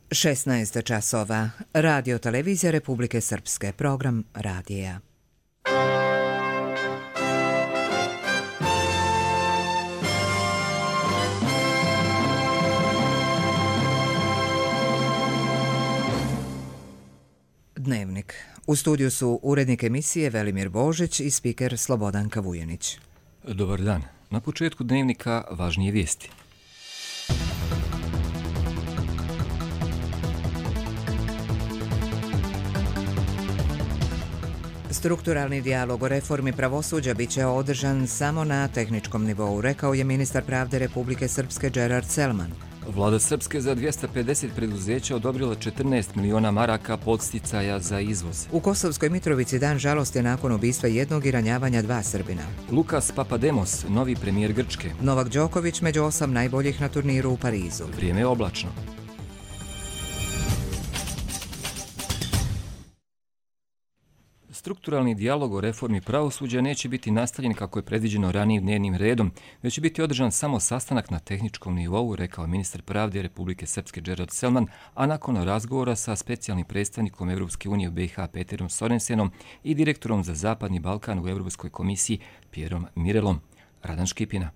16 časova. Radio televizija Republike Srpske. Program radija. Dnevnik. U studiju su urednik emisije Velimir Božić i spiker Slobodanka Vujanić. Dobar dan. Na početku dnevnika važnije vijesti. Strukturalni dijalog o reformi pravosuđa biće održan samo na tehničkom nivou, rekao je ministar pravde Republike Srpske Gerard Selman. Vlada Srpske za 250 preduzeća odobrila 14 miliona maraka podsticaja za izvoz. U Kosovskoj Mitrovici dan žalosti nakon ubistva jednog i ranjavanja 2 Srbina. Lukas Papademos, novi premijer Grčke. Novak Đoković među 8 najboljih na turniru u Parizu. Vrijeme je oblačno. Strukturalni dijalog o reformi pravosuđa neće biti nastavljen kako je predviđeno ranijim dnevnim redom, već će biti održan samo sastanak na tehničkom nivou, rekao ministar pravde Republike Srpske Gerard Selman, a nakon razgovora sa specijalnim predstavnikom Evropske unije u BiH Peterom Sorensenom i direktorom za Zapadni Balkan u Europskoj komisiji Pierom Mirelom. Radan Škipina.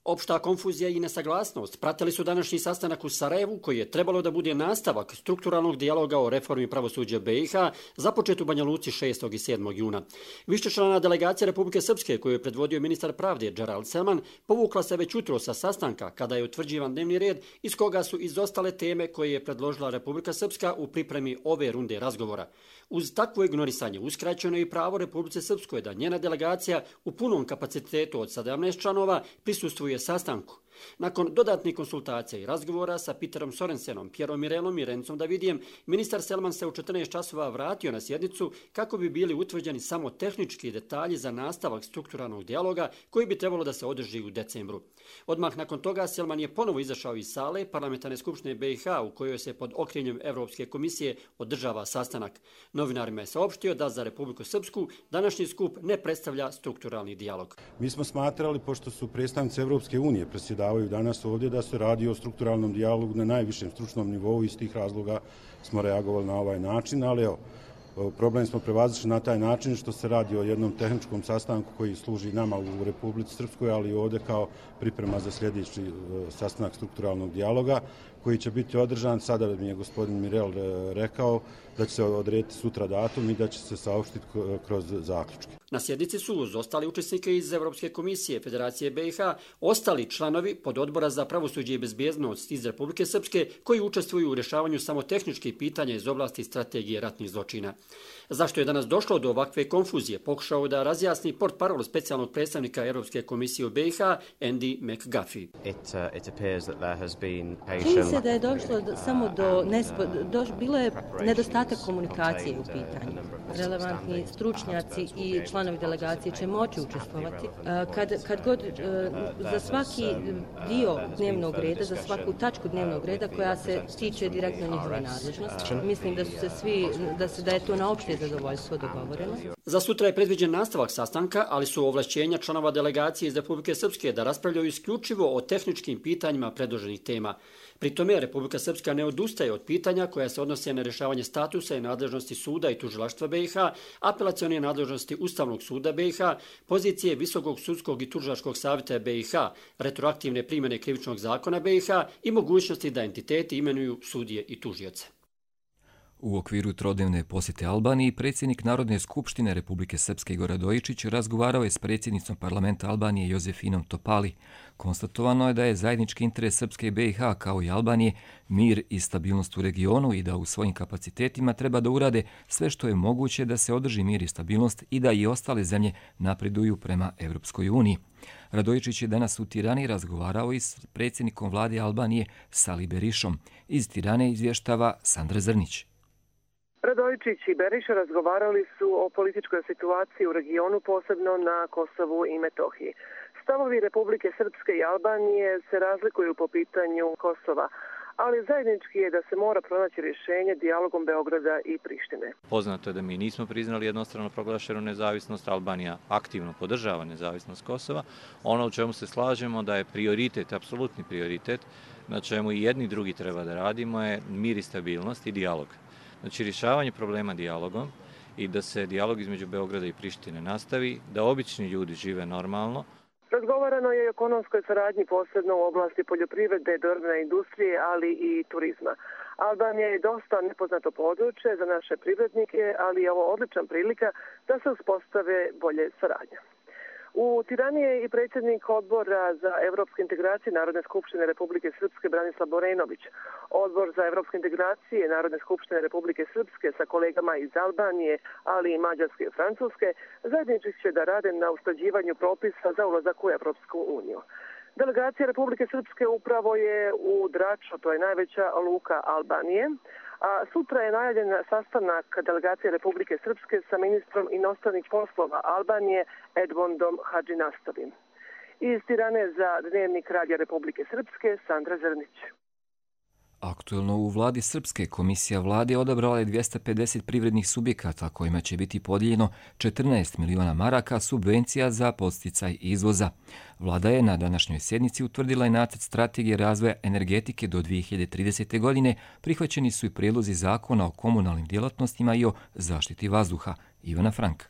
Opšta konfuzija i nesaglasnost pratili su današnji sastanak u Sarajevu, koji je trebalo da bude nastavak strukturalnog dijaloga o reformi pravosuđa BiH započet u Banja Luci 6. i 7. juna. Višečlana delegacija Republike Srpske, koju je predvodio ministar pravde Gerard Selman, povukla se već jutro sa sastanka kada je utvrđivan dnevni red iz koga su izostale teme koje je predložila Republika Srpska u pripremi ove runde razgovora. Uz takvo ignorisanje uskraćeno je i pravo Republike Srpskoj da njena delegacija u punom kapacitetu od 17 članova prisustvuje sastanku. Nakon dodatnih konsultacija i razgovora sa Peterom Sorensenom, Pierom Mirelom i Rencom Davidijem, ministar Selman se u 14 časova vratio na sjednicu kako bi bili utvrđeni samo tehnički detalji za nastavak strukturalnog dijaloga koji bi trebalo da se održi u decembru. Odmah nakon toga Selman je ponovo izašao iz sale Parlamentarne skupštine BiH u kojoj se pod okriljem Evropske komisije održava sastanak. Novinarima je saopštio da za Republiku Srpsku današnji skup ne predstavlja strukturalni dijalog. Mi smo smatrali, pošto su predstavnici Evropske unije predsjedavaju danas ovdje, da se radi o strukturalnom dijalogu na najvišem stručnom nivou i iz tih razloga smo reagovali na ovaj način, ali evo, problem smo prevazišli na taj način što se radi o jednom tehničkom sastanku koji služi nama u Republici Srpskoj, ali ovdje kao priprema za sljedeći sastanak strukturalnog dijaloga koji će biti održan. Sada mi je gospodin Mirel rekao da će se odrediti sutra datum i da će se saopštiti kroz zaključke. Na sjednici su uz ostali učesnike iz Evropske komisije Federacije BiH ostali članovi pododbora za pravosuđe i bezbjednost iz Republike Srpske koji učestvuju u rješavanju samo tehničkih pitanja iz oblasti strategije ratnih zločina. Zašto je danas došlo do ovakve konfuzije, pokušao da razjasni portparol specijalnog predstavnika Europske komisije u BiH Andy McGuffie. Čini se da je došlo samo bilo je nedostatak komunikacije u pitanju. Relevantni stručnjaci i članovi delegacije će moći učestvovati. Kad god za svaki dio dnevnog reda, za svaku tačku dnevnog reda koja se tiče direktno njihove nadležnosti, mislim da su se svi, da je to na opšte zadovoljstvo dogovoreno. Za sutra je predviđen nastavak sastanka, ali su ovlašćenja članova delegacije iz Republike Srpske da raspravljaju isključivo o tehničkim pitanjima predloženih tema. Pri tome Republika Srpska ne odustaje od pitanja koja se odnose na rješavanje statusa i nadležnosti suda i tužilaštva BiH, apelacione nadležnosti Ustavnog suda BiH, pozicije Visokog sudskog i tužilačkog savjeta BiH, retroaktivne primjene krivičnog zakona BiH i mogućnosti da entiteti imenuju sudije i tužioce. U okviru trodnevne posjete Albaniji, predsjednik Narodne skupštine Republike Srpske Igor Radojičić razgovarao je s predsjednicom parlamenta Albanije Jozefinom Topali. Konstatovano je da je zajednički interes Srpske i BiH kao i Albanije mir i stabilnost u regionu i da u svojim kapacitetima treba da urade sve što je moguće da se održi mir i stabilnost i da i ostale zemlje napreduju prema Evropskoj uniji. Radojičić je danas u Tirani razgovarao i s predsjednikom vlade Albanije Sali Berišom. Iz Tirane izvještava Sandra Zrnić. Radojičić i Beriša razgovarali su o političkoj situaciji u regionu, posebno na Kosovu i Metohiji. Stavovi Republike Srpske i Albanije se razlikuju po pitanju Kosova, ali zajednički je da se mora pronaći rješenje dijalogom Beograda i Prištine. Poznato je da mi nismo priznali jednostrano proglašenu nezavisnost, Albanija aktivno podržava nezavisnost Kosova. Ono u čemu se slažemo da je prioritet, apsolutni prioritet, na čemu i jedni i drugi treba da radimo, je mir i stabilnost i dijalog. Znači rješavanje problema dijalogom i da se dijalog između Beograda i Prištine nastavi, da obični ljudi žive normalno. Razgovarano je i o ekonomskoj saradnji, posebno u oblasti poljoprivrede, drvne industrije, ali i turizma. Albanija je dosta nepoznato područje za naše privrednike, ali je ovo odlična prilika da se uspostave bolje saradnje. U Tirani je i predsjednik odbora za evropske integracije Narodne skupštine Republike Srpske Branislav Borenović. Odbor za evropske integracije Narodne skupštine Republike Srpske sa kolegama iz Albanije, ali i Mađarske i Francuske, zajednički će da rade na usklađivanju propisa za ulazak u Evropsku uniju. Delegacija Republike Srpske upravo je u Draču, to je najveća luka Albanije, a sutra je najavljen sastanak delegacije Republike Srpske sa ministrom inostranih poslova Albanije Edmondom Hadžinastovim. Iz Tirane za Dnevnik Radija Republike Srpske, Sandra Zrnić. Aktuelno u vladi Srpske, komisija vlade odabrala je 250 privrednih subjekata kojima će biti podijeljeno 14 miliona maraka subvencija za podsticaj izvoza. Vlada je na današnjoj sjednici utvrdila i nacrt strategije razvoja energetike do 2030. godine. Prihvaćeni su i prijedlozi zakona o komunalnim djelatnostima i o zaštiti vazduha. Ivana Frank.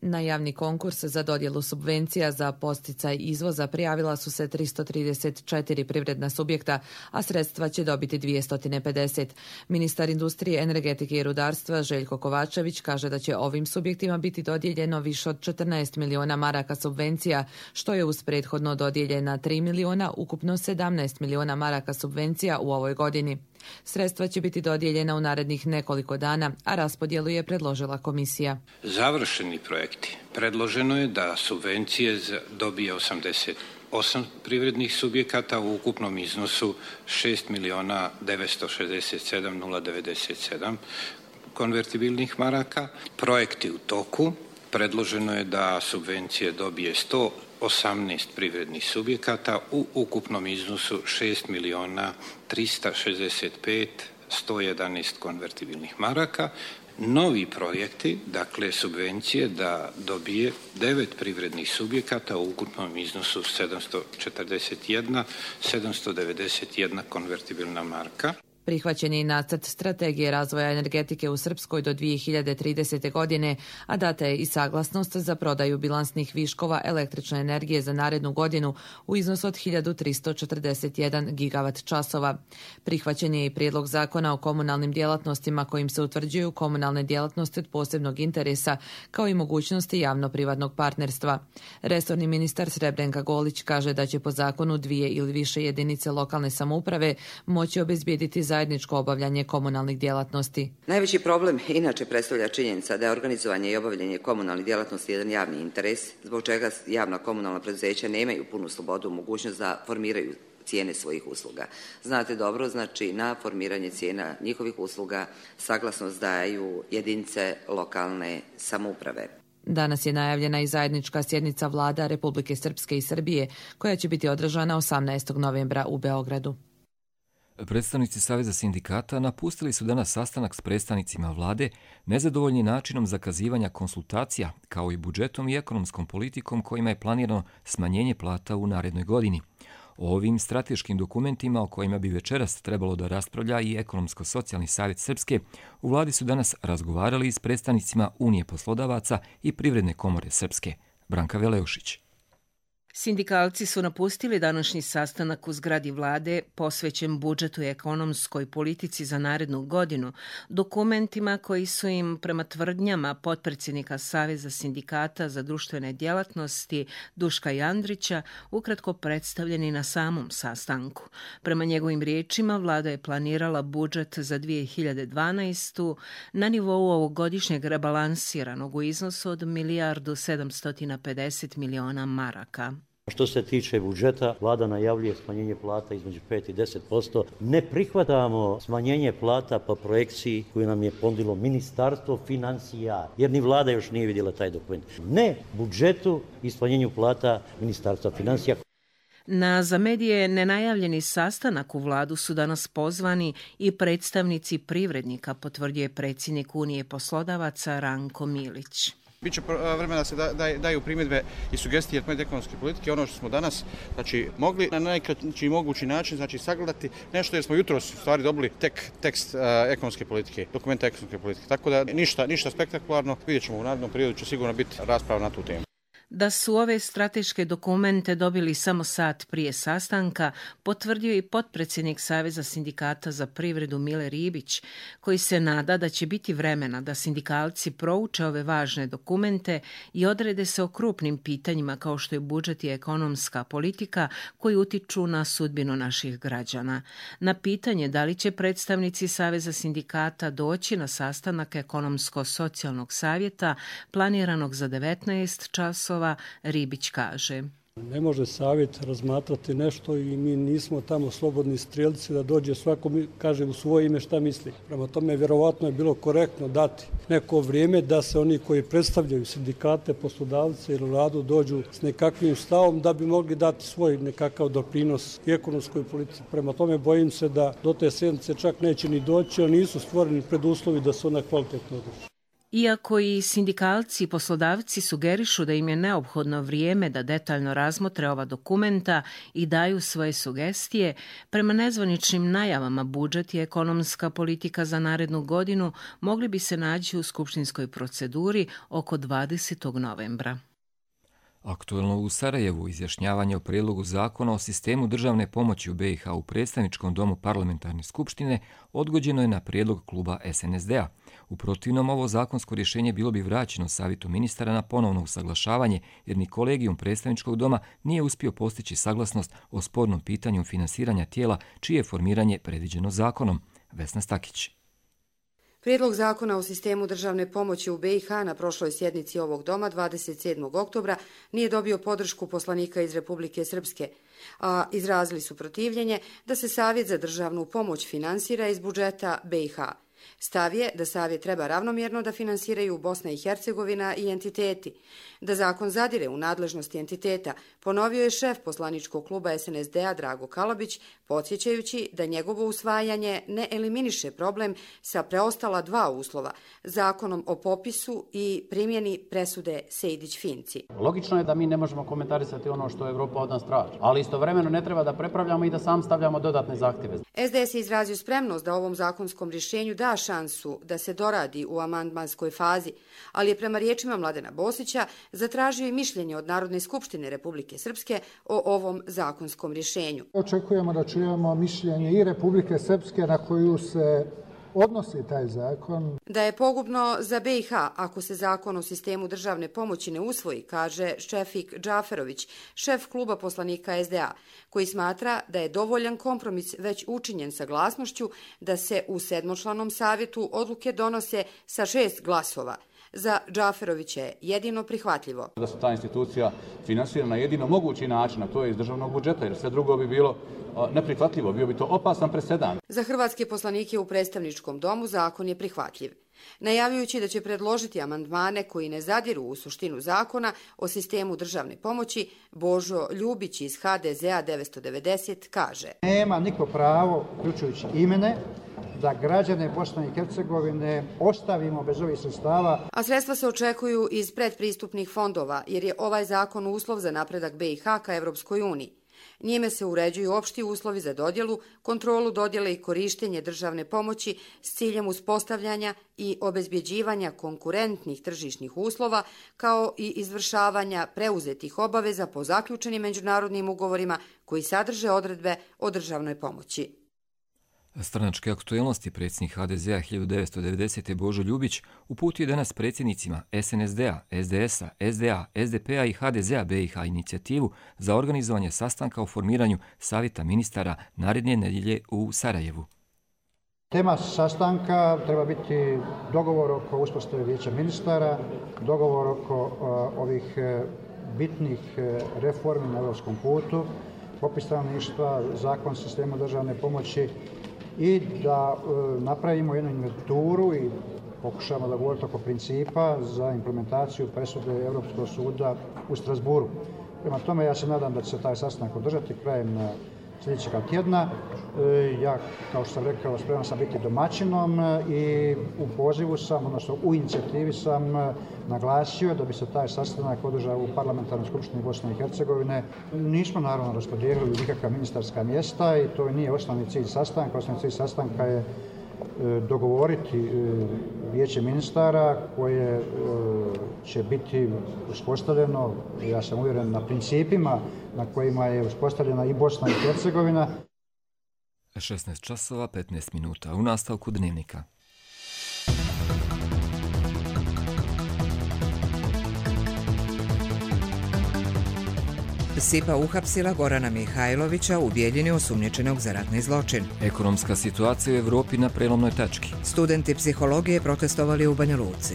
Na javni konkurs za dodjelu subvencija za podsticaj izvoza prijavila su se 334 privredna subjekta, a sredstva će dobiti 250. Ministar industrije, energetike i rudarstva Željko Kovačević kaže da će ovim subjektima biti dodijeljeno više od 14 miliona maraka subvencija, što je uz prethodno dodijeljena 3 miliona, ukupno 17 miliona maraka subvencija u ovoj godini. Sredstva će biti dodijeljena u narednih nekoliko dana, a raspodjelu je predložila komisija. Završeni projekti. Predloženo je da subvencije dobije 88 privrednih subjekata u ukupnom iznosu 6.967.097 konvertibilnih maraka. Projekti u toku. Predloženo je da subvencije dobije 118 privrednih subjekata u ukupnom iznosu 6.365.111 konvertibilnih maraka. Novi projekti, dakle subvencije, da dobije 9 privrednih subjekata u ukupnom iznosu 741 konvertibilna marka. Prihvaćen je i nacrt strategije razvoja energetike u Srpskoj do 2030. godine, a data je i saglasnost za prodaju bilansnih viškova električne energije za narednu godinu u iznosu od 1341 gigavat časova. Prihvaćen je i prijedlog zakona o komunalnim djelatnostima kojim se utvrđuju komunalne djelatnosti od posebnog interesa, kao i mogućnosti javno-privatnog partnerstva. Resorni ministar Srebrenka Golić kaže da će po zakonu 2 ili više jedinice lokalne samouprave moći obezbijediti zajedničko obavljanje komunalnih djelatnosti. Najveći problem inače predstavlja činjenica da je organizovanje i obavljanje komunalnih djelatnosti jedan javni interes, zbog čega javna komunalna preduzeća nemaju punu slobodu, mogućnost da formiraju cijene svojih usluga. Znate dobro, znači na formiranje cijena njihovih usluga saglasnost daju jedinice lokalne samouprave. Danas je najavljena i zajednička sjednica vlada Republike Srpske i Srbije, koja će biti održana 18. novembra u Beogradu. Predstavnici Saveza sindikata napustili su danas sastanak s predstavnicima vlade, nezadovoljni načinom zakazivanja konsultacija, kao i budžetom i ekonomskom politikom kojima je planirano smanjenje plata u narednoj godini. O ovim strateškim dokumentima o kojima bi večeras trebalo da raspravlja i Ekonomsko-socijalni savjet Srpske, u vladi su danas razgovarali s predstavnicima Unije poslodavaca i Privredne komore Srpske. Branka Veleušić. Sindikalci su napustili današnji sastanak u zgradi vlade posvećen budžetu i ekonomskoj politici za narednu godinu, dokumentima koji su im prema tvrdnjama potpredsjednika Saveza sindikata za društvene djelatnosti Duška Jandrića ukratko predstavljeni na samom sastanku. Prema njegovim riječima, vlada je planirala budžet za 2012. na nivou ovogodišnjeg rebalansiranog u iznosu od 1.750 miliona maraka. Što se tiče budžeta, vlada najavljuje smanjenje plata između 5 i 10%. Ne prihvatamo smanjenje plata po projekciji koju nam je ponudilo Ministarstvo financija, jer ni vlada još nije vidjela taj dokument. Ne budžetu i smanjenju plata Ministarstva financija. Na za medije nenajavljeni sastanak u vladu su danas pozvani i predstavnici privrednika, potvrdio je predsjednik Unije poslodavaca Ranko Milić. Biće vremena da se daju primjedbe i sugestije od ekonomske politike, ono što smo danas mogli na najkraći mogući način sagledati nešto, jer smo jutros u stvari dobili tekst ekonomske politike, dokumenta ekonomske politike. Tako da ništa spektakularno, vidjet ćemo u narednom periodu, će sigurno biti rasprava na tu temu. Da su ove strateške dokumente dobili samo sat prije sastanka, potvrdio i potpredsjednik Saveza sindikata za privredu Mile Ribić, koji se nada da će biti vremena da sindikalci prouče ove važne dokumente i odrede se o krupnim pitanjima kao što je budžet i ekonomska politika koji utiču na sudbinu naših građana. Na pitanje da li će predstavnici Saveza sindikata doći na sastanak ekonomsko-socijalnog savjeta planiranog za 19 časova, Ribić kaže: Ne može savjet razmatrati nešto i mi nismo tamo slobodni strijelci da dođe svako kaže u svoje ime šta misli. Prema tome, vjerovatno je bilo korektno dati neko vrijeme da se oni koji predstavljaju sindikate, poslodavce ili vladu dođu s nekakvim stavom da bi mogli dati svoj nekakav doprinos i ekonomskoj politici. Prema tome, bojim se da do te sjednice čak neće ni doći, jer nisu stvoreni preduslovi da se ona kvalitetno održi. Iako i sindikalci i poslodavci sugerišu da im je neophodno vrijeme da detaljno razmotre ova dokumenta i daju svoje sugestije, prema nezvaničnim najavama budžet i ekonomska politika za narednu godinu mogli bi se naći u skupštinskoj proceduri oko 20. novembra. Aktuelno u Sarajevu izjašnjavanje o prijedlogu zakona o sistemu državne pomoći u BiH u predstavničkom domu parlamentarne skupštine odgođeno je na prijedlog kluba SNSD-a. U protivnom, ovo zakonsko rješenje bilo bi vraćeno savjetu ministara na ponovno usaglašavanje, jer ni kolegijum predstavničkog doma nije uspio postići saglasnost o spornom pitanju finansiranja tijela čije je formiranje predviđeno zakonom. Vesna Stakić. Prijedlog zakona o sistemu državne pomoći u BiH na prošloj sjednici ovog doma 27. oktobra nije dobio podršku poslanika iz Republike Srpske, a izrazili su protivljenje da se Savjet za državnu pomoć finansira iz budžeta BiH. Stav je da Savjet treba ravnomjerno da finansiraju Bosna i Hercegovina i entiteti. Da zakon zadire u nadležnosti entiteta, ponovio je šef poslaničkog kluba SNSD-a Drago Kalabić, podsjećajući da njegovo usvajanje ne eliminiše problem sa preostala dva uslova, zakonom o popisu i primjeni presude Sejdić-Finci. Logično je da mi ne možemo komentarisati ono što Evropa od nas traži, ali istovremeno ne treba da prepravljamo i da sam stavljamo dodatne zahtjeve. SDS je izrazio spremnost da ovom zakonskom rješenju da šansu da se doradi u amandmanskoj fazi, ali je prema riječima Mladena Bosića zatražio i mišljenje od Narodne skupštine Republike Srpske o ovom zakonskom rješenju. Očekujemo da čujemo mišljenje i Republike Srpske na koju se odnosi taj zakon. Da je pogubno za BiH ako se zakon o sistemu državne pomoći ne usvoji, kaže Šefik Džaferović, šef kluba poslanika SDA, koji smatra da je dovoljan kompromis već učinjen saglasnošću da se u 7-članom savjetu odluke donose sa 6 glasova. Za Džaferovića je jedino prihvatljivo. Da se ta institucija finansira na jedino mogući način, a to je iz državnog budžeta, jer sve drugo bi bilo neprihvatljivo, bio bi to opasan presedan. Za hrvatske poslanike u predstavničkom domu zakon je prihvatljiv. Najavljujući da će predložiti amandmane koji ne zadiru u suštinu zakona o sistemu državne pomoći, Božo Ljubić iz HDZ-a 990 kaže: Nema niko pravo, uključujući i mene, da građane Bosne i Hercegovine ostavimo bez ovih sredstava. A sredstva se očekuju iz predpristupnih fondova, jer je ovaj zakon uslov za napredak BiH ka Evropskoj uniji. Njime se uređuju opšti uslovi za dodjelu, kontrolu dodjele i korištenje državne pomoći s ciljem uspostavljanja i obezbjeđivanja konkurentnih tržišnih uslova, kao i izvršavanja preuzetih obaveza po zaključenim međunarodnim ugovorima koji sadrže odredbe o državnoj pomoći. Stranačke aktuelnosti predsjednik HDZ-a 1990. Božo Ljubić uputio je danas predsjednicima SNSD-a, SDS-a, SDA, SDP-a i HDZ-a BiH inicijativu za organizovanje sastanka o formiranju Savjeta ministara naredne nedjelje u Sarajevu. Tema sastanka treba biti dogovor oko uspostave vijeća ministara, dogovor oko ovih bitnih reformi na europskom putu, popis stanovništva, zakon o sistemu državne pomoći, i da napravimo jednu inventuru i pokušamo da govorimo oko principa za implementaciju presude Europskog suda u Strasburu. Prema tome, ja se nadam da će se taj sastanak održati krajem sljedećega tjedna. Ja, kao što sam rekao, spreman sam biti domaćinom i u pozivu sam, odnosno u inicijativi sam naglasio da bi se taj sastanak održao u Parlamentarnoj skupštini Bosne i Hercegovine. Nismo naravno raspodijelili nikakva ministarska mjesta i to nije osnovni cilj sastanka. Osnovni cilj sastanka je dogovoriti vijeće ministara koje će biti uspostavljeno, ja sam uvjeren, na principima na kojima je uspostavljena i Bosna i Hercegovina. 16 časova 15 minuta u nastavku Dnevnika. SIPA uhapsila Gorana Mihajlovića u Bijeljini osumnjičenog za ratni zločin. Ekonomska situacija u Evropi na prelomnoj tački. Studenti psihologije protestovali u Banja Luci.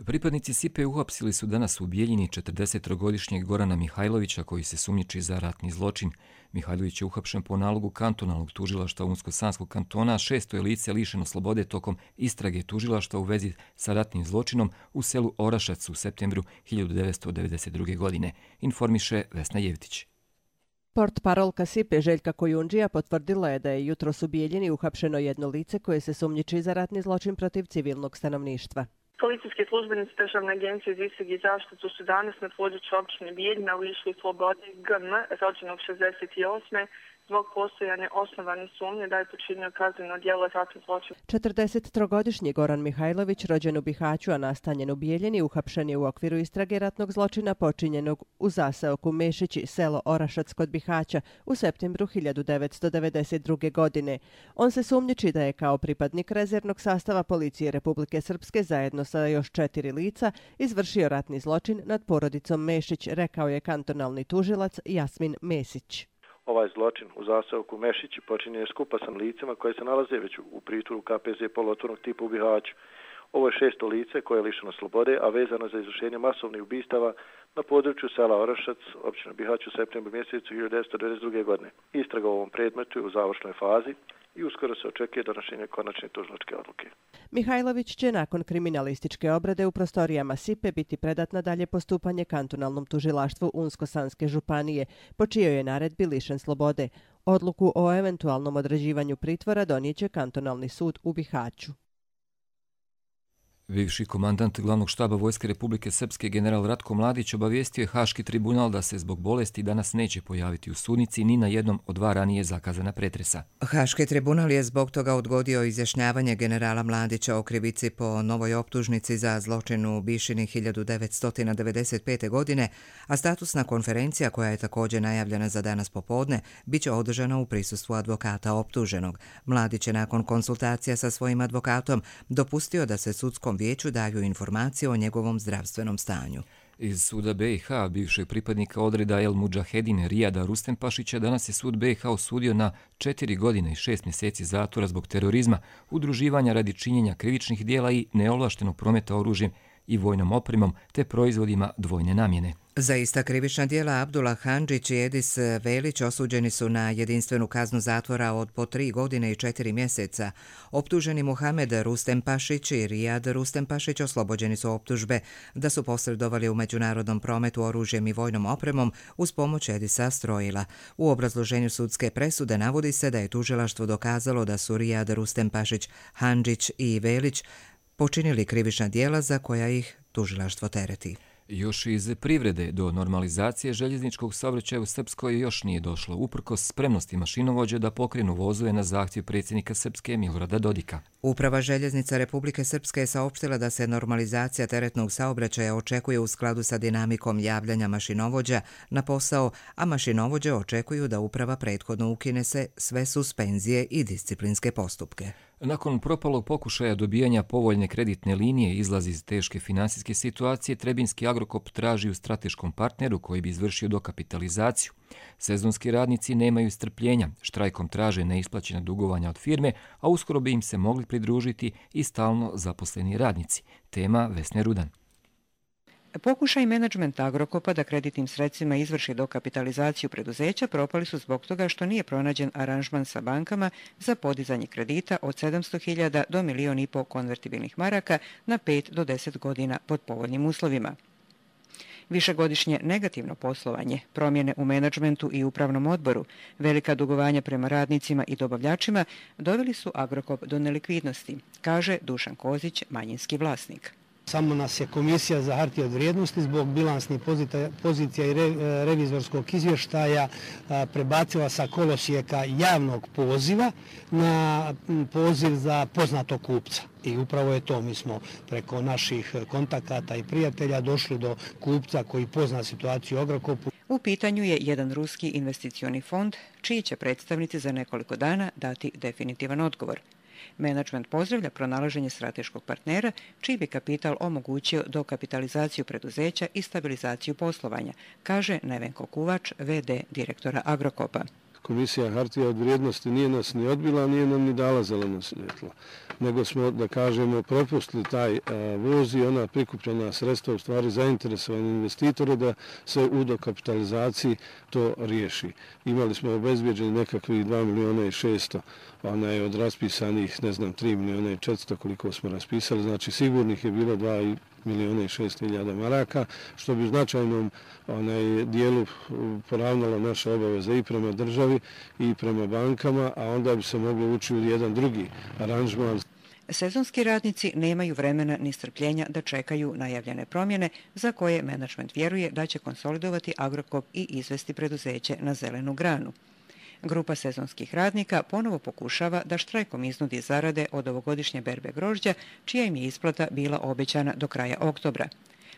Pripadnici SIPE uhapsili su danas u Bijeljini 43-godišnjeg Gorana Mihajlovića koji se sumnjiči za ratni zločin. Mihajlović je uhapšen po nalogu kantonalnog tužilaštva Unsko-Sanskog kantona, 6. lice lišeno slobode tokom istrage tužilaštva u vezi sa ratnim zločinom u selu Orašac u septembru 1992. godine, informiše Vesna Jevtić. Portparolka SIPE Željka Kojundžija potvrdila je da je jutros u Bijeljini uhapšeno jedno lice koje se sumnjiči za ratni zločin protiv civilnog stanovništva. Policijski službenici Državne agencije za istrage i zaštitu su danas na području općine Bijeljina lišili slobode GM, rođenog 68. zbog postojanja osnovane sumnje da je počinio kazneno djelo ratni zločin. 43-godišnji Goran Mihajlović, rođen u Bihaću, a nastanjen u Bijeljini, uhapšen je u okviru istrage ratnog zločina počinjenog u zaseoku Mešići, selo Orašac kod Bihaća, u septembru 1992. godine. On se sumnjiči da je kao pripadnik rezervnog sastava policije Republike Srpske zajedno sa još 4 lica izvršio ratni zločin nad porodicom Mešić, rekao je kantonalni tužilac Jasmin Mesić. Ovaj zločin u zaseoku Mešići počinjen je skupa sa licima koje se nalaze već u pritvoru KPZ poluotvornog tipa u Bihaću. Ovo je 6. lice koje je lišeno slobode, a vezano za izvršenje masovnih ubistava na području sela Orašac, općina Bihać u septembru mjesecu 1992. godine. Istraga u ovom predmetu je u završnoj fazi i uskoro se očekuje donošenje konačne tužilačke odluke. Mihajlović će nakon kriminalističke obrade u prostorijama SIPE biti predat na dalje postupanje kantonalnom tužilaštvu Unsko-Sanske županije, po čijoj je naredbi lišen slobode. Odluku o eventualnom određivanju pritvora donijeće kantonalni sud u Bihaću. Bivši komandant glavnog štaba Vojske Republike Srpske general Ratko Mladić obavijestio je Haški tribunal da se zbog bolesti danas neće pojaviti u sudnici ni na jednom od 2 ranije zakazana pretresa. Haški tribunal je zbog toga odgodio izjašnjavanje generala Mladića o krivici po novoj optužnici za zločin u Bišini 1995. godine, a statusna konferencija koja je također najavljena za danas popodne biće održana u prisustvu advokata optuženog. Mladić je nakon konsultacija sa svojim advokatom dopustio da se sudskom vijeću daju informacije o njegovom zdravstvenom stanju. Iz suda BiH bivšeg pripadnika odreda El Mudžahedin Rijada Rustempašića danas je sud BiH osudio na 4 godine i 6 mjeseci zatvora zbog terorizma, udruživanja radi činjenja krivičnih dijela i neovlaštenog prometa oružjem i vojnom opremom te proizvodima dvojne namjene. Za ista krivična djela Abdullah Handžić i Edis Velić osuđeni su na jedinstvenu kaznu zatvora od po 3 godine i 4 mjeseca. Optuženi Muhamed Rustempašić i Rijad Rustempašić oslobođeni su optužbe da su posredovali u međunarodnom prometu oružjem i vojnom opremom uz pomoć Edisa Strojila. U obrazloženju sudske presude navodi se da je tužilaštvo dokazalo da su Rijad Rustempašić, Handžić i Velić počinili krivična djela za koja ih tužilaštvo tereti. Još iz privrede do normalizacije željezničkog saobraćaja u Srpskoj još nije došlo, uprkos spremnosti mašinovođe da pokrenu vozove na zahtjev predsjednika Srpske Milorada Dodika. Uprava željeznica Republike Srpske je saopštila da se normalizacija teretnog saobraćaja očekuje u skladu sa dinamikom javljanja mašinovođa na posao, a mašinovođe očekuju da uprava prethodno ukine sve suspenzije i disciplinske postupke. Nakon propalog pokušaja dobijanja povoljne kreditne linije izlazi iz teške finansijske situacije, Trebinski Agrokop traži u strateškom partneru koji bi izvršio dokapitalizaciju. Sezonski radnici nemaju strpljenja, štrajkom traže neisplaćena dugovanja od firme, a uskoro bi im se mogli pridružiti i stalno zaposleni radnici. Tema Vesne Rudan. Pokušaj menadžmenta Agrokopa da kreditnim sredstvima izvrši dokapitalizaciju preduzeća propali su zbog toga što nije pronađen aranžman sa bankama za podizanje kredita od 700.000 do 1,5 miliona konvertibilnih maraka na 5 do 10 godina pod povoljnim uslovima. Višegodišnje negativno poslovanje, promjene u menadžmentu i upravnom odboru, velika dugovanja prema radnicima i dobavljačima doveli su Agrokop do nelikvidnosti, kaže Dušan Kozić, manjinski vlasnik. Samo nas je Komisija za hartije od vrijednosti zbog bilansnih pozicija i revizorskog izvještaja prebacila sa kolosijeka javnog poziva na poziv za poznatog kupca. I upravo je to, mi smo preko naših kontakata i prijatelja došli do kupca koji pozna situaciju u Agrokopu. U pitanju je jedan ruski investicioni fond, čiji će predstavnici za nekoliko dana dati definitivan odgovor. Menadžment pozdravlja pronalaženje strateškog partnera, čiji bi kapital omogućio dokapitalizaciju preduzeća i stabilizaciju poslovanja, kaže Nevenko Kuvač, VD direktora Agrokopa. Komisija hartija od vrijednosti nije nas ni odbila, nije nam ni dala zeleno svjetlo, nego smo, da kažemo, propustili taj voz i ona prikupljena sredstva u stvari zainteresovani investitore da se u dokapitalizaciji to riješi. Imali smo obezbjeđeni nekakvih 2 milijuna i 600, ona je od raspisanih, 3 milijuna i 400 koliko smo raspisali, znači sigurnih je bilo 2 milijuna i 600.000 maraka, što bi u značajnom dijelu poravnalo naše obaveze i prema državi i prema bankama, a onda bi se moglo ući u jedan drugi aranžman. Sezonski radnici nemaju vremena ni strpljenja da čekaju najavljene promjene za koje menadžment vjeruje da će konsolidovati Agrokop i izvesti preduzeće na zelenu granu. Grupa sezonskih radnika ponovo pokušava da štrajkom iznudi zarade od ovogodišnje berbe grožđa, čija im je isplata bila obećana do kraja oktobra.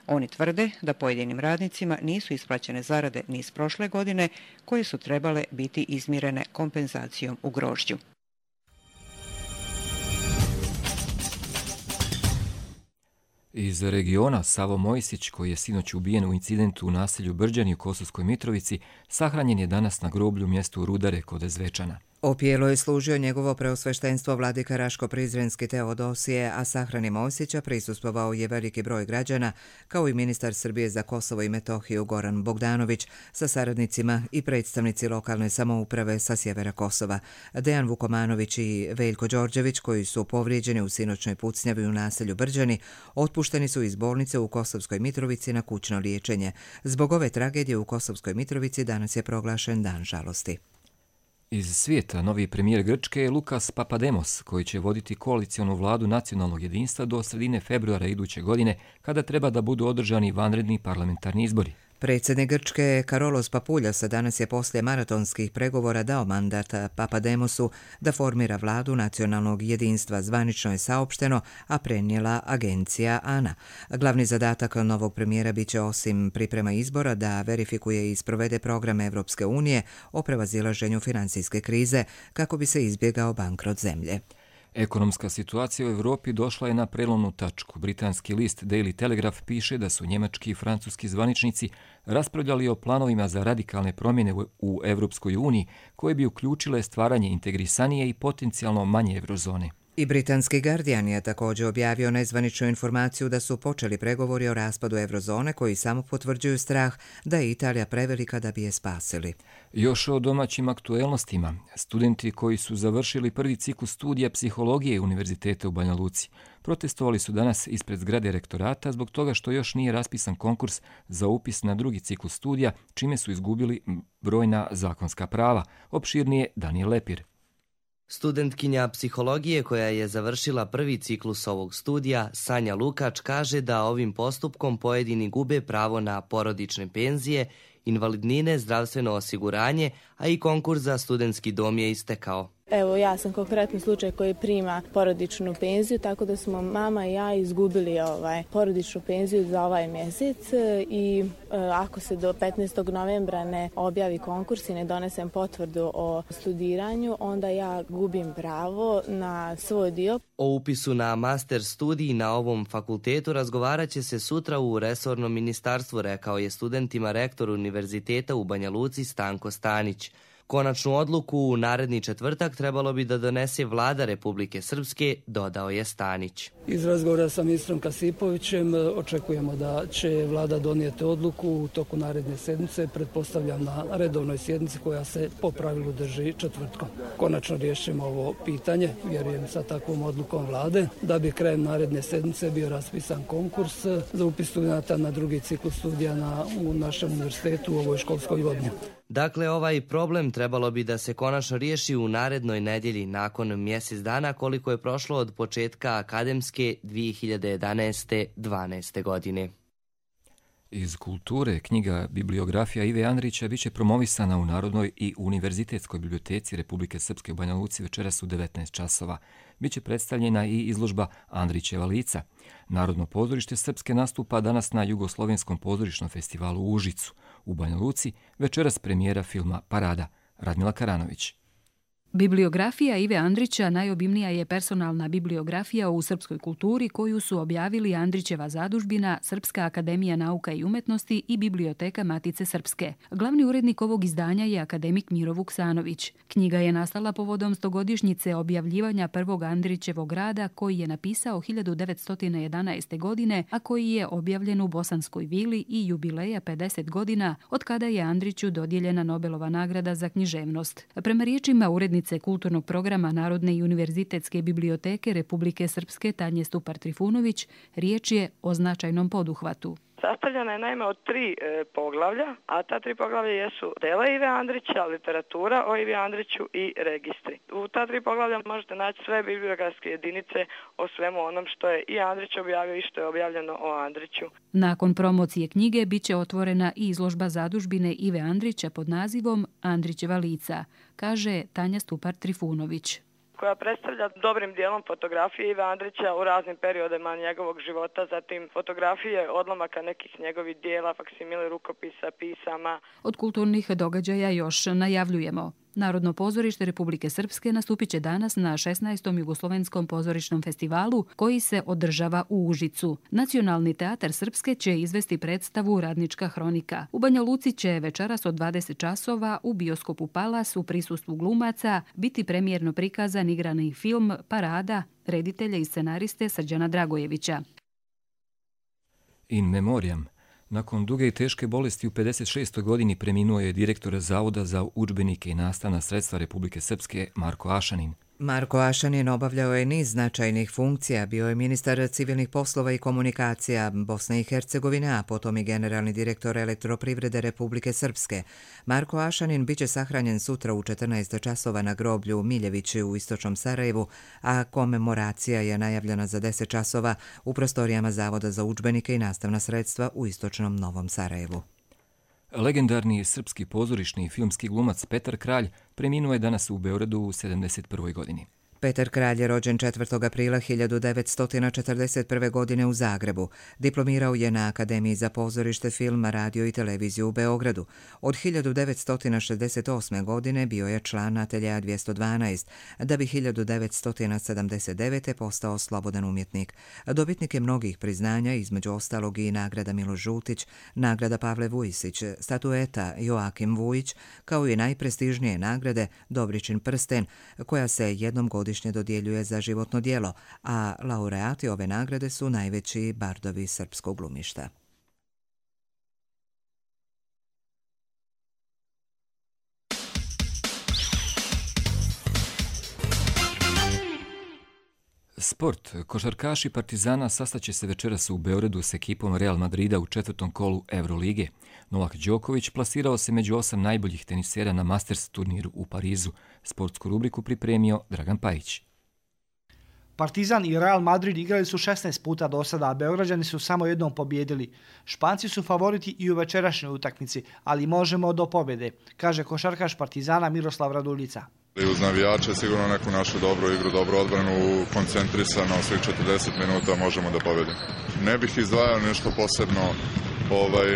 Oni tvrde da pojedinim radnicima nisu isplaćene zarade ni iz prošle godine, koje su trebale biti izmirene kompenzacijom u grožđu. Iz regiona Savo Mojsić, koji je sinoć ubijen u incidentu u naselju Brđani u Kosovskoj Mitrovici, sahranjen je danas na groblju mjestu Rudare kod Zvečana. Opijelo je služio njegovo preosveštenstvo vladika Raško-Prizrenski Teodosije, a sahrani Mojsića prisustvovao je veliki broj građana, kao i ministar Srbije za Kosovo i Metohiju Goran Bogdanović sa saradnicima i predstavnici lokalne samouprave sa sjevera Kosova. Dejan Vukomanović i Veljko Đorđević, koji su povrijeđeni u sinoćnoj pucnjavi u naselju Brđani, otpušteni su iz bolnice u Kosovskoj Mitrovici na kućno liječenje. Zbog ove tragedije u Kosovskoj Mitrovici danas je proglašen dan žalosti. Iz svijeta novi premijer Grčke je Lukas Papademos, koji će voditi koalicionu vladu nacionalnog jedinstva do sredine februara iduće godine, kada treba da budu održani vanredni parlamentarni izbori. Predsjednik Grčke Karolos Papoulias danas je poslije maratonskih pregovora dao mandat Papademosu da formira vladu nacionalnog jedinstva, zvanično je saopšteno, a prenijela agencija ANA. Glavni zadatak novog premijera biće osim priprema izbora da verifikuje i sprovede program Evropske unije o prevazilaženju financijske krize kako bi se izbjegao bankrot zemlje. Ekonomska situacija u Evropi došla je na prelomnu tačku. Britanski list Daily Telegraph piše da su njemački i francuski zvaničnici raspravljali o planovima za radikalne promjene u Evropskoj uniji koje bi uključile stvaranje integrisanije i potencijalno manje eurozone. I britanski Guardian je također objavio nezvaničnu informaciju da su počeli pregovori o raspadu eurozone koji samo potvrđuju strah da je Italija prevelika da bi je spasili. Još o domaćim aktuelnostima. Studenti koji su završili prvi ciklus studija psihologije Univerziteta u Banja Luci protestovali su danas ispred zgrade rektorata zbog toga što još nije raspisan konkurs za upis na drugi ciklus studija, čime su izgubili brojna zakonska prava. Opširnije Daniel Lepir. Studentkinja psihologije koja je završila prvi ciklus ovog studija, Sanja Lukač, kaže da ovim postupkom pojedini gube pravo na porodične penzije, invalidnine, zdravstveno osiguranje, a i konkurs za studentski dom je istekao. Evo, ja sam konkretni slučaj koji prima porodičnu penziju, tako da smo mama i ja izgubili porodičnu penziju za ovaj mjesec i ako se do 15. novembra ne objavi konkurs i ne donesem potvrdu o studiranju, onda ja gubim pravo na svoj dio. O upisu na master studij na ovom fakultetu razgovarat će se sutra u resornom ministarstvu, rekao je studentima rektor Univerziteta u Banja Luci Stanko Stanić. Konačnu odluku u naredni četvrtak trebalo bi da donese vlada Republike Srpske, dodao je Stanić. Iz razgovora sa ministrom Kasipovićem očekujemo da će vlada donijeti odluku u toku naredne sedmice, pretpostavljam na redovnoj sjednici koja se po pravilu drži četvrtkom. Konačno riješimo ovo pitanje, vjerujem sa takvom odlukom vlade, da bi krajem naredne sedmice bio raspisan konkurs za upis studenata na drugi ciklus studija u našem univerzitetu u ovoj školskoj godini. Dakle, ovaj problem trebalo bi da se konačno riješi u narednoj nedjelji nakon mjesec dana koliko je prošlo od početka akademske 2011-12. godine. Iz kulture knjiga Bibliografija Ive Andrića biće promovisana u Narodnoj i Univerzitetskoj biblioteci Republike Srpske u Banja Luci večeras u 19 časova. Biće predstavljena i izložba Andrićeva lica. Narodno pozorište Srpske nastupa danas na Jugoslovenskom pozorišnom festivalu u Užicu. U Banja Luci večeras premijera filma Parada. Radmila Karanović. Bibliografija Ive Andrića najobimnija je personalna bibliografija u srpskoj kulturi koju su objavili Andrićeva zadužbina, Srpska akademija nauka i umetnosti i Biblioteka Matice Srpske. Glavni urednik ovog izdanja je akademik Miro Vuksanović. Knjiga je nastala povodom 100-godišnjice objavljivanja prvog Andrićevog rada koji je napisao 1911. godine, a koji je objavljen u Bosanskoj vili i jubileja 50 godina od kada je Andriću dodijeljena Nobelova nagrada za književnost. Prema riječima urednice kulturnog programa Narodne i univerzitetske biblioteke Republike Srpske Tanje Stupar-Trifunović, riječ je o značajnom poduhvatu. Sastavljena je naime od 3 poglavlja, a ta 3 poglavlja jesu dela Ive Andrića, literatura o Ivi Andriću i registri. U ta 3 poglavlja možete naći sve bibliografske jedinice o svemu onom što je i Andrić objavio i što je objavljeno o Andriću. Nakon promocije knjige biće otvorena i izložba zadužbine Ive Andrića pod nazivom Andrićeva lica, kaže Tanja Stupar-Trifunović, koja predstavlja dobrim dijelom fotografije Ive Andrića u raznim periodima njegovog života, zatim fotografije odlomaka nekih njegovih dijela, faksimile rukopisa, pisama. Od kulturnih događaja još najavljujemo. Narodno pozorište Republike Srpske nastupit će danas na 16. Jugoslovenskom pozorišnom festivalu koji se održava u Užicu. Nacionalni teatar Srpske će izvesti predstavu Radnička hronika. U Banja Luci će večeras od 20 časova u bioskopu Palas u prisustvu glumaca biti premijerno prikazan igrani film Parada reditelja i scenariste Srđana Dragojevića. In memoriam. Nakon duge i teške bolesti u 56. godini preminuo je direktor Zavoda za udžbenike i nastavna sredstva Republike Srpske Marko Ašanin. Marko Ašanin obavljao je niz značajnih funkcija, bio je ministar civilnih poslova i komunikacija Bosne i Hercegovine, a potom i generalni direktor Elektroprivrede Republike Srpske. Marko Ašanin biće sahranjen sutra u 14 časova na groblju Miljevići u istočnom Sarajevu, a komemoracija je najavljena za 10 časova u prostorijama Zavoda za udžbenike i nastavna sredstva u istočnom Novom Sarajevu. Legendarni srpski pozorišni i filmski glumac Petar Kralj preminuo je danas u Beogradu u 71. godini. Petar Kralj je rođen 4. aprila 1941. godine u Zagrebu. Diplomirao je na Akademiji za pozorište, film, radio i televiziju u Beogradu. Od 1968. godine bio je član Ateljeja 212, da bi 1979. postao slobodan umjetnik. Dobitnik je mnogih priznanja, između ostalog i nagrada Miloš Žutić, nagrada Pavle Vujisić, statueta Joakim Vujić, kao i najprestižnije nagrade Dobričin prsten, koja se jednom godišnje dodjeljuje za životno djelo, a laureati ove nagrade su najveći bardovi srpskog glumišta. Sport. Košarkaši Partizana sastaće se večeras u Beogradu s ekipom Real Madrida u 4. kolu Eurolige. Novak Đoković plasirao se među 8 najboljih tenisera na Masters turniru u Parizu. Sportsku rubriku pripremio Dragan Pajić. Partizan i Real Madrid igrali su 16 puta do sada, a Beograđani su samo jednom pobjedili. Španci su favoriti i u večerašnjoj utakmici, ali možemo do pobjede, kaže košarkaš Partizana Miroslav Raduljica. Uz navijače sigurno neku našu dobru igru, dobru odbranu, koncentrisano svih 40 minuta možemo da pobjedimo. Ne bih izdvajao nešto posebno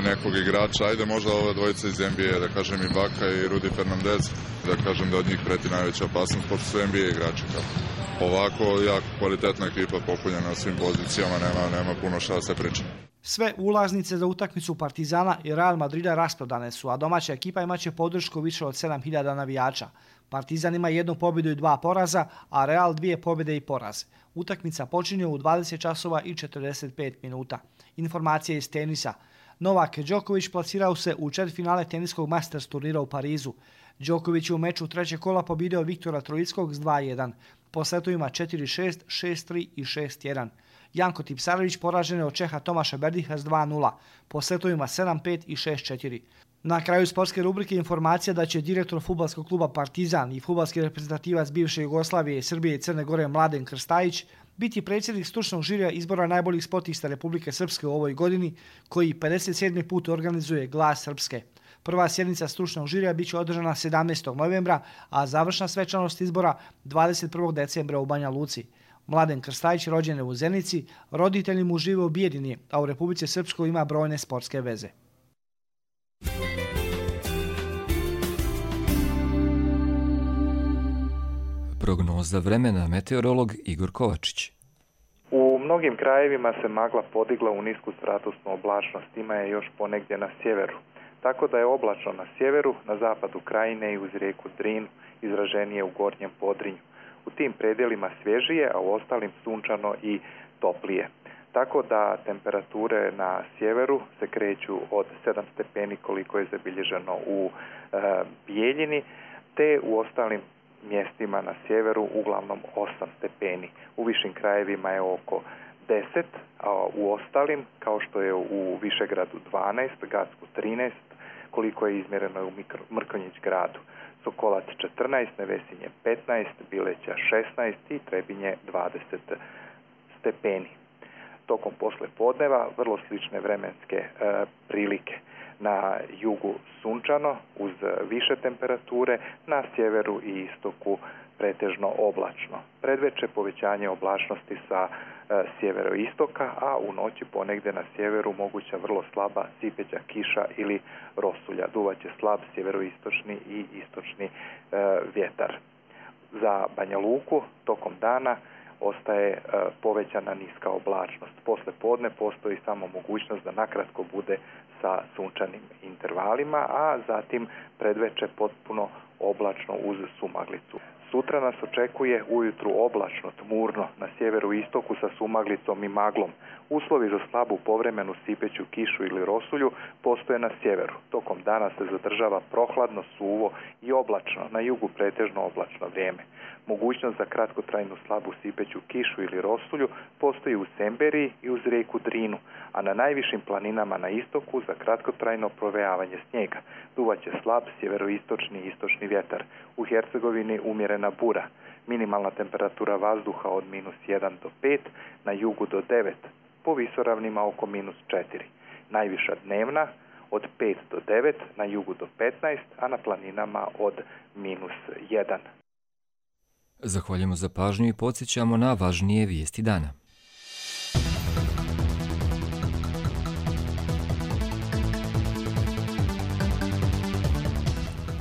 nekog igrača, ajde možda ove dvojice iz NBA, da kažem i Baka i Rudy Fernandez, da kažem da od njih preti najveća opasnost, pošto su NBA igrači. Ovako jako kvalitetna ekipa popunjena na svim pozicijama, nema puno šta da se priča. Sve ulaznice za utakmicu Partizana i Real Madrida rasprodane su, a domaća ekipa imaće podršku više od 7000 navijača. Partizan ima 1 pobjedu i 2 poraza, a Real 2 pobjede i poraz. Utakmica počinje u 20 časova i 45 minuta. Informacije iz tenisa. Novak Đoković plasirao se u četvrtfinale teniskog Masters turnira u Parizu. Đoković je u meču trećeg kola pobjedio Viktora Trojickog s 2-1. Po setovima 4-6, 6-3 i 6-1. Janko Tipsarević poražen je od Čeha Tomaša Berdiha s 2-0. Po setovima 7-5 i 6-4. Na kraju sportske rubrike informacija da će direktor fudbalskog kluba Partizan i fudbalski reprezentativac bivše Jugoslavije, Srbije i Crne Gore Mladen Krstajić biti predsjednik stručnog žirija izbora najboljih sportista Republike Srpske u ovoj godini, koji 57. put organizuje Glas Srpske. Prva sjednica stručnog žirija biće održana 17. novembra, a završna svečanost izbora 21. decembra u Banja Luci. Mladen Krstajić rođen je u Zenici, roditelji mu žive u Bijeljini, a u Republici Srpskoj ima brojne sportske veze. Prognoza vremena, meteorolog Igor Kovačić. U mnogim krajevima se magla podigla u nisku stratusnu oblačnost, ima je još ponegdje na sjeveru. Tako da je oblačno na sjeveru, na zapadu krajine i uz rijeku Drinu, izraženije u gornjem Podrinju. U tim predjelima svježije, a u ostalim sunčano i toplije. Tako da temperature na sjeveru se kreću od 7 stepeni koliko je zabilježeno u Bijeljini, te u ostalim mjestima na sjeveru uglavnom 8 stepeni. U višim krajevima je oko 10, a u ostalim, kao što je u Višegradu 12, Gacku 13, koliko je izmjereno u Mrkonjić gradu. Sokolac 14, Nevesinje 15, Bileća 16 i Trebinje 20 stepeni. Tokom poslijepodneva vrlo slične vremenske prilike. Na jugu sunčano uz više temperature, na sjeveru i istoku pretežno oblačno. Predveče povećanje oblačnosti sa sjeveroistoka, a u noći ponegdje na sjeveru moguća vrlo slaba sipeća kiša ili rosulja. Duvaće slab sjeveroistočni i istočni vjetar. Za Banja Luku tokom dana ostaje povećana niska oblačnost. Posle podne postoji samo mogućnost da nakratko bude sa sunčanim intervalima, a zatim predveče potpuno oblačno uz sumaglicu. Sutra nas očekuje ujutru oblačno, tmurno, na sjeveru i istoku sa sumaglicom i maglom. Uslovi za slabu povremenu sipeću kišu ili rosulju postoje na sjeveru. Tokom dana se zadržava prohladno, suvo i oblačno, na jugu pretežno oblačno vrijeme. Mogućnost za kratkotrajnu slabu sipeću kišu ili rosulju postoji u Semberiji i uz rijeku Drinu, a na najvišim planinama na istoku za kratkotrajno provejavanje snijega. Duvaće slab sjeveroistočni i istočni vjetar. U Hercegovini umjerena bura. Minimalna temperatura vazduha od -1 do 5, na jugu do 9, po visoravnima oko -4. Najviša dnevna od 5 do 9, na jugu do 15, a na planinama od -1. Zahvaljujemo za pažnju i podsjećamo na važnije vijesti dana.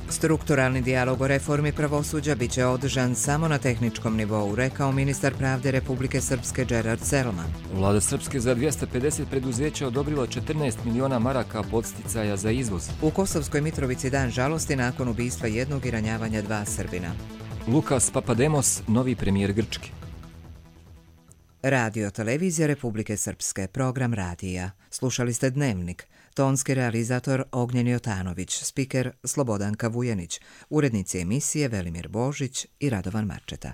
Strukturalni dijalog o reformi pravosuđa biće održan samo na tehničkom nivou, rekao ministar pravde Republike Srpske Gerard Selman. Vlada Srpske za 250 preduzeća odobrila 14 miliona maraka podsticaja za izvoz. U Kosovskoj Mitrovici dan žalosti nakon ubistva jednog i ranjavanja 2 Srbina. Lukas Papademos, novi premijer Grčke. Radio Televizija Republike Srpske, program radija. Slušali ste Dnevnik. Tonski realizator Ognjen Jotanović, spiker Slobodanka Vujanić, urednici emisije Velimir Božić i Radovan Marčeta.